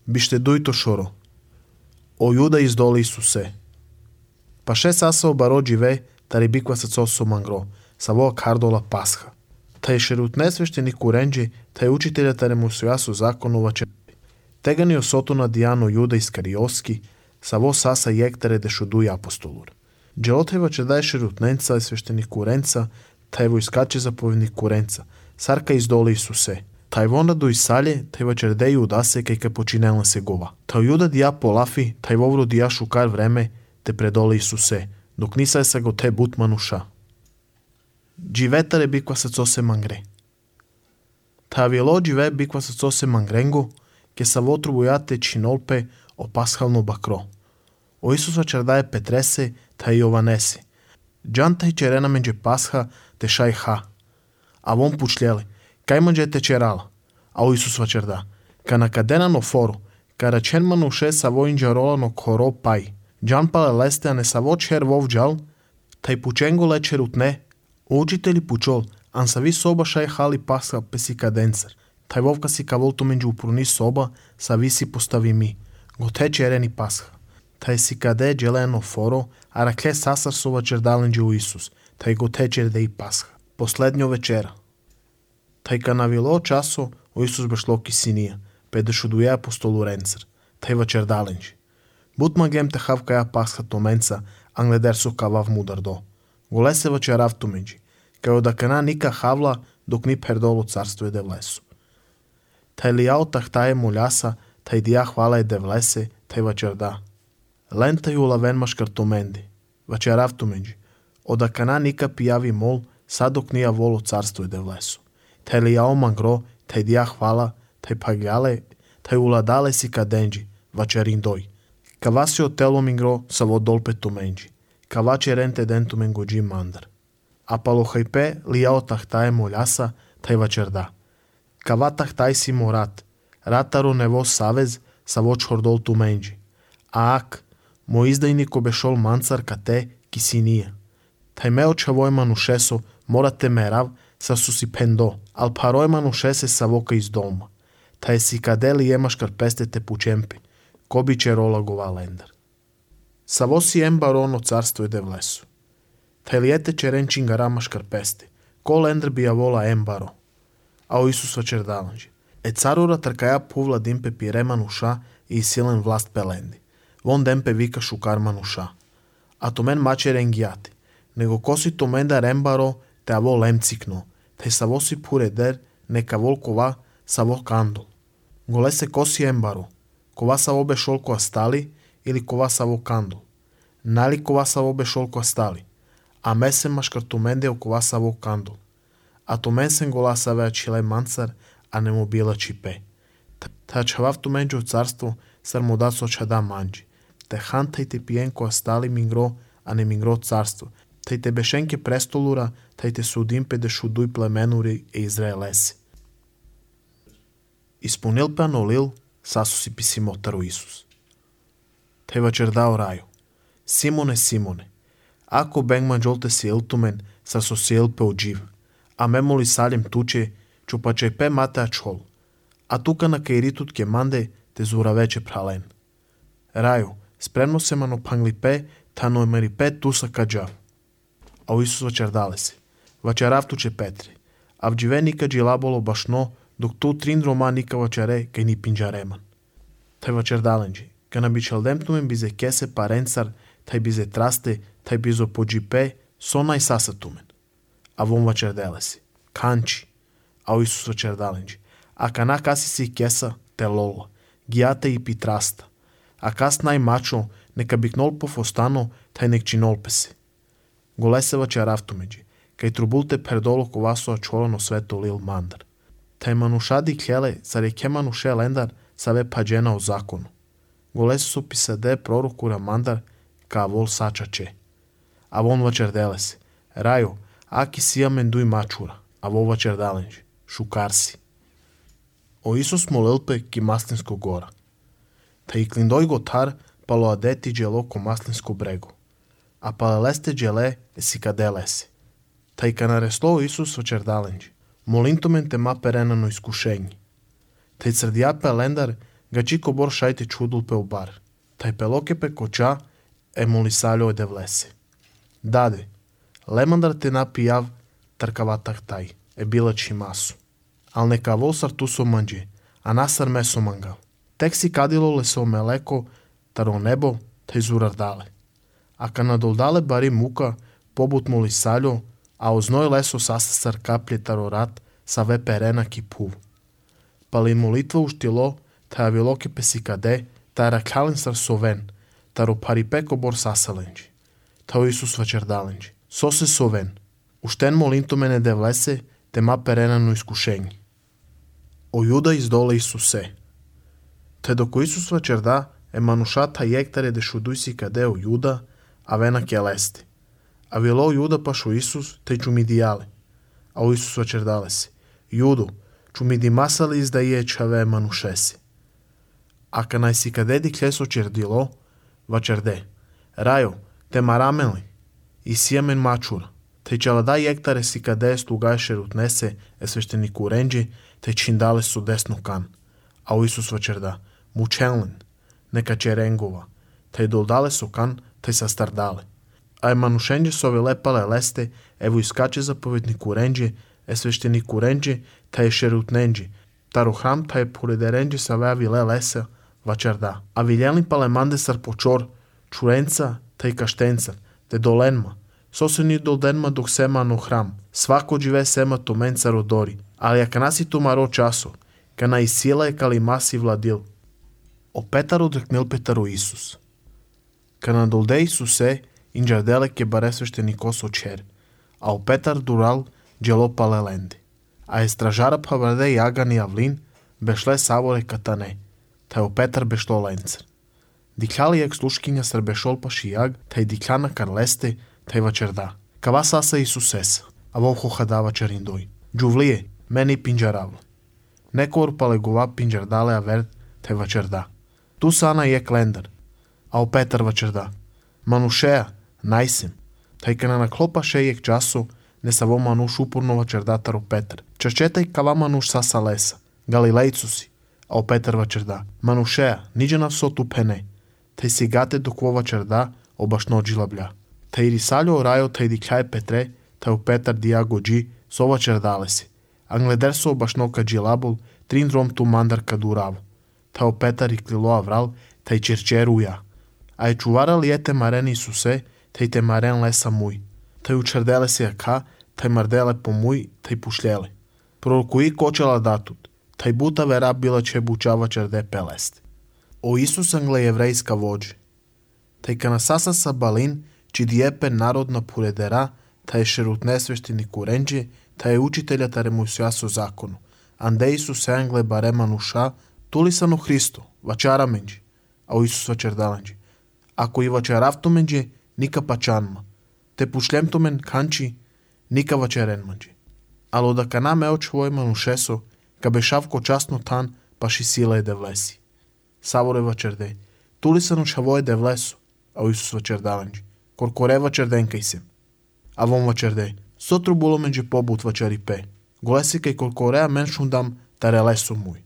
Biște duito șoro. O Iuda izdoli Isuse. Pa 6 asa obaro džive, tari bikva sa coso mangro, sa voa kardola pasha. Taj šerutne sveštenik urenđi, taj učitelja tare mu su zakonova čepi. Tegani osoto na Dijanu Juda Iskarioski, sa vo sasa jektere de šuduja apostolur. Dželoteva će daje šerutnenca i sveštenik urenca, taj vo iskače zapovjednik urenca, sarka izdoli Isuse. Taj vonda do Isalje, taj vačer deju udase kaj ka počinela se gova. Taj Juda dija polafi, taj vovru dija šukar vreme, te predoli Isuse, dok nisa sa go te butmanuša. Dživetare bikva sa co se mangre. Ta avjelo džive bikva sa co se mangrengo, ke sa votru bujate činolpe o pashalno bakro. O Isusa čardaje Petrese, ta i Jovanese. Džanta i čerena menđe pasha, te šaj ha. A von pučljeli, kaj manđe te čerala? A o Isus vačerda, ka na kadena no foru, ka račen manuše sa vojnđa rola no koro paj. Džan pale leste, a ne sa voč her vov džal, taj pučengo leče rutne, učitelji pučol, an sa vi soba šaj hali pasha pesi kadencer. Taj vovka si ka volto menđu upruni soba, sa vi si postavi mi. Gote čereni pasha. Taj si kade dželeno foro, a rakle sasar sova čerdalenđe u Isus, taj gote čerde i pasha. Poslednjo večera. Taj ka navilo časo, o Isus bešlo kisinija, pedešu duje apostolu rencer, taj vačer dalenđe. Butma gem te havka ja pasha tomenca, angleder su kavav mudar do. Gole se vačerav tumenđi, kao da kana nika havla, dok ni perdolo carstvo je devlesu. Taj lijao tahtaje muljasa, taj dija hvala je devlese, taj vačer da. Lenta ju laven maškar tomendi, vačerav tumenđi, oda kana nika pijavi mol, sad dok nija volo carstvo je devlesu. Taj lijao mangro, taj dija hvala, taj pagjale, taj uladale si kadenđi, vačerin doj. Kavasi o telo mingro sa vodolpe tumenđi, kavače rente dentu mengođi mandar. A palohajpe lijao tahtaje muljasa, taj vačer da. Kava tahtaj si morat, rataro nevo savez sa voč hordol tumenđi. A ak, mo izdajniko bešol mancar kate kisinija. Taj meo čavoj manušeso morate merav sa susi pendo, al paroj manušese sa voka iz doma. Taj si kadeli jemaškar pestete pučempi, ko bi će rola gova lendar. Sa vosi embarono carstvo je devlesu. Taj lijete čerenčinga ramaškar peste, ko lendar bi vola embaro. A o Isus vačer dalanđe. E carura trkaja puvla dimpe piremanuša i silen vlast pelendi. Von dempe vika šukar manuša. A to men mače rengijati, nego kosi to menda rembaro te avo lemcikno, te sa vosi pure der neka volkova sa vo kandol. Gole se kosi embaro, kova sa obe šolko astali ili kova sa vo kandol. Nali kova sa obe šolko astali, a mesen maškar to mende o kova sa vo kandol. A to mensen gola sa vea čile mancar, a ne mu bila čipe. Ta čavav tu menđo carstvo sar mu da soča da manđi. Te hantaj te pijenko astali mingro, a ne mingro carstvo. Taj te bešenke prestolura, taj te sudimpe de šuduj plemenuri e Izraelesi. Ispunil pe anolil, sasu si pisimotaru Isus. Taj vačer dao raju. Simone, Simone, ako bengman žolte si iltumen, sasu si ilpe uđiv. A memoli saljem tuče, čupače pe mate ačhol. A tuka na kairitut ke mande, te zura veće pralen. Raju, spremno se mano pangli pe, tano emeri pe tusa kađav. A u Isus vačer dale se. Vačerav tuče Petre. A vđive nika džilabolo bašno, dok tu trin roma nika vačere, kaj ni pinđareman. Taj vačer dalenđi. Ka na bičaldemtumen bize kese parencar, taj bize traste, taj bizo pođipe, sona i sasatumen. A von vačer dele se. Kanči. A u Isus vačer dalenđi. A kana kasi si kesa, te lola. Gijate i pitrasta. A kas naj mačo, neka biknol po fostano, taj nek činolpe se. Gole se vačer avtumeđi. Kaj trubulte perdolo kovaso a čolano sveto lil mandar. Taj manušadi kljele, zar je ke manuše lendar, save pađena o zakonu. Gole su pisade prorokura mandar, ka vol sačače. A von vačer dele se. Rajo, aki sija menduj mačura, a vo vačer dalenđi. Šukarsi. O Isus molilpe ki maslinsko gora. Ta i klindoj gotar palo adeti dželo ko maslinsko brego. A pale leste džele esi kade lese. Ta i ka nareslo Isus vačer dalenđi. Molintomen te ma perenano iskušenji. Ta i crdijape lendar Гачи кобор шајте чудул пе обар. Тај пелоке пе коча е молисалјо е девлесе. Даде, лемандар те напијав тркаватах тај, е била чимасу. Ал нека волсар ту со манџе, а насар ме со мангал. Тек си кадило лесо мелеко, таро небо, тај зурардале. А канадолдале бари мука, побут молисалјо, а озној лесо састасар капле таро рат, са ве перена ки пув. Пали молитва уштило, тај авилоке песи каде, тај ракален сар совен, таро парипеко бор сасаленџи. Тао Исус вачердаленџи. Сосе совен. Уштен молинто мене девлесе, тема перена но искушењи. О Јуда издоле Исусе. Те доко Исус вачерда, е манушата јектаре дешудуј си каде о Јуда, а вена ке лесте. А вило Јуда пашо Исус, те чумидијале. А о Исус вачердале се. Јудо, чумиди масали издаие чаве манушеси. А канај си каде ди клесо чердило, вачерде. Рајо, те марамели, и сијамен мачура. Те челада јектаре си каде стугај шерутнесе, е свештенику ренџи, те чиндале со десно кан. А о Исус вачерда, мученлен, нека черенгова, те долдале со кан, те састардале. А е манушенџи со лепале лесте, ево искаче заповеднику ренџи, е свештенику ренџи, те е шерутненџи, таро храм, те е поредеренџи са веавиле леса, вачерда. А вилјелни палеманде сар почор, чуренца, те и каштенца, те доленма, сосени долденма док сема но храм, свако живе сема то менца родори, али ако наси то маро часо, кана и сила е кали маси владил. О Петар одрекнел Петаро Исус. Кана долде Исусе, инџарделе ке баре свештенико со чер, а о Петар дурал джело палеленде. А е стражара павраде јаган и авлин, бешле саворе катане, тај о Петар бешло ленцер. Диклали ек слушкиња сар бешол паши јаг, тај диклана карлесте, тај вачерда. Кава саса Исусеса, а волхо хадава чариндој. Джувлие, мени пинџаравле. Некор палегова пинџардале аверт, тај вачерда. Ту сана ек лендар, а о Петар вачерда. Манушеја, најсем. Тај кана на клопа шејек часо, не са во мануш упорно вачердатар о Петар. Чачетај кава мануш саса леса. Галилејцу си, а о Петар вачерда. Манушеја, ниđe на со ту пене. Тај сигате док во вачерда, обашно джилабља. Тај рисалјо рајо тај дикљај Петре, тај о Петар дијаго джи, со вачердале си. Англедер со обашно ка джилабол, трин дром ту мандар ка дураво. Тај о Петар и клило аврал, тај черчер уја. А е чувара ли ете марен Исусе, тај те марен леса муј. Тај учерделе си ака, тај марделе по муј, тај пушлеле. Пророкуи кочела датут, тај бута вера била че бучава черде пелесте. О Исус англе еврејска воџи. Тај кана саса са балин, чи диепе народна поредера, тај шерутне свештенику ренџи, тај учителја таре мусија со закону. Анде Исус англе баре мануша, тули са но Христо, вачара менџи, а о Исус вачердаленџи. Ако и вачаравто менџи, ника пачанма. Те пушлемто мен канчи, ника вачерен менџи. Ало да кана ме очвој манушесо, ка бешавко частно тан, паши сила е девлеси. Саворе вачерде, тули са но шавој девлесо, а о Исус вачердаленџи. Коркоре вачерденкај сем. А вон вачерде, сотро було менџи побут вачари пе. Голеси кај коркореа мен шундам таре лесо муј.